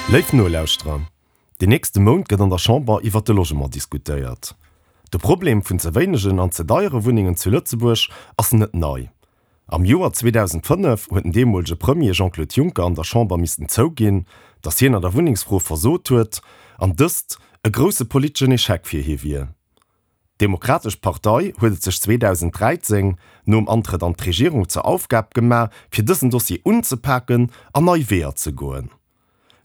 Léif Nolauschterer, den nächste Mount gëtt an der Chamber iwwert de Logement diskutéiert. De Problem vun ze wéinegen an ze deiere Wunnengen zu Lëtzebuerg ass net nei. Am Joer 2005 huet den deemolege Premier Jean-Claude Juncker an der Chamber missten zouginn, datt hien an der Wunnengsfro versot huet an dëst e grousse politeschen Echec fir hie wier. D'Demokratesch Partei huet et sech 2013, nom Antrëtt an d'Regierung, zur Aufgab gemaach, fir dësen Dossier unzepaken an nei Weeër ze goen.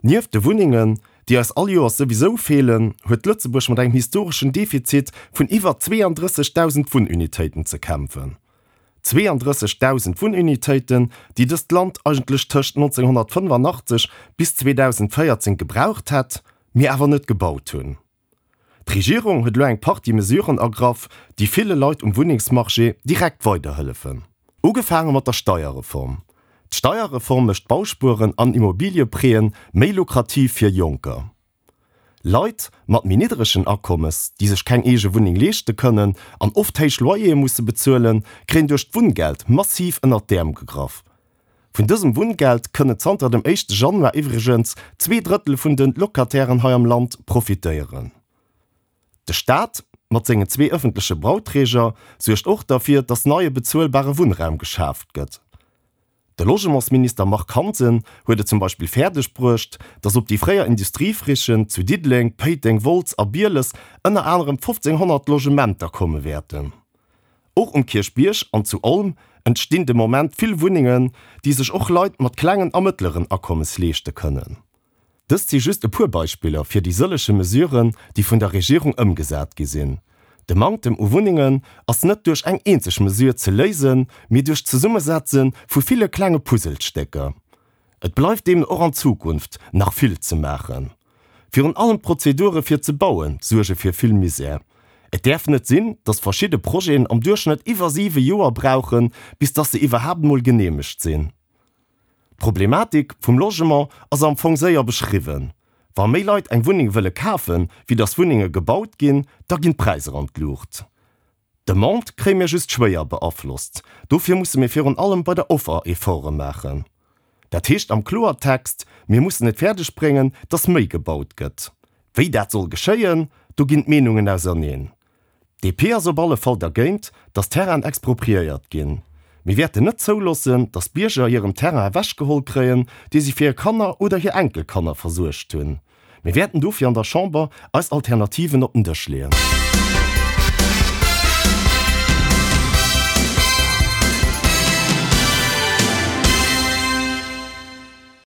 Nieft de Wunnengen, déi eis all Joers souwisou feelen, huet Lëtzebuerg mat engem historeschen Defizit vun iwwer 32.000 Wunnunitéiten ze kämpfen. 32.000 Wunnunitéiten, déi dëst Land eigentlech tëscht 1985 bis 2014 gebraucht hätt, mee awer net gebaut hunn. D'Regierung huet elo eng Partie Mesuren ergraff, déi ville Leit um Wunnengsmarché direkt weiderhëllefen. Ugefaange mat der Steierreform. D'Steierreform mécht Bauspueren an Immobilieprêten méi lukrativ fir Jonker. Leit mat méi niddregen Akommes, déi sech keng eege Wunneng leeschte kënnen an oft héich Loyere musse bezuelen, kréien duerch d'Wunngeld massiv ënnert d'Äerm gegraff. Vun dësem Wunngeld kënnen zanter dem éischte Januar iwwregens 2/3 vun de Locatairen hei am Land profitéieren. De Staat, mat sengen zwee ëffentleche Bauträger, suergt och derfir, datt neie bezuelbare Wunnraum geschaaft gëtt. De Logementsminister Marc Hansen huet et zum Beispill fäerdeg bruecht, datt op déi fréier Industriefrichen zu Diddeleng, Péiteng, Wolz a Bieles ënner anerem 1.500 Logementer komme wäerten. Och um Kierchbierg an zu Olm entstinn de Moment vill Wunnengen, déi sech och Leit mat klengen a mëttleren Akommes leeschte kënnen. Dëst si just e puer Beispiller fir déi sëllege Mesuren, déi vun der Regierung ëmgesat gi sinn. De Manktem u Wunnengen ass net duerch eng eenzeg Mesure ze léisen, mee duerch d'Zesummesetze vu ville klenge Puzzelstécker. Et bleift deemno och an Zukunft nach vill ze maachen. Virun allem d'Prozedure fir ze baue suerge fir vill Misär. Et däerf net sinn, datt verschidde Projeten am Duerchschnëtt iwwer siwe Joer brauchen, bis datt se iwwerhaapt emol geneemegt sinn. D'Problematik vum Logement ass am Fong séier beschriwwen. Wa méi Leit eng Wunneng wëlle kafen, wéi datt Wunnenge gebaut ginn, da ginn d'Präisser an d'Luucht. D'Demande kréie mir just schwéier beaflosst. Dofir musse mir virun allem bei der Offer Efforte maachen. Dat heescht am Kloertext, mir mussen et fäerdeg bréngen, dass méi gebaut gëtt. Wéi dat soll geschéien, do ginn d'Meenungen auserneen. DP ass op alle Fall dergéint, dass Terrainen expropriéiert ginn. Mir wäerten net zouloossen, dass Bierger hiren Terrain ewechgeholl kréien, dee si fir hir Kanner oder hir Enkelkanner versuergt hunn. Mir wäerten dofir an der Chamber eis Alternativen op den Dësch leeën.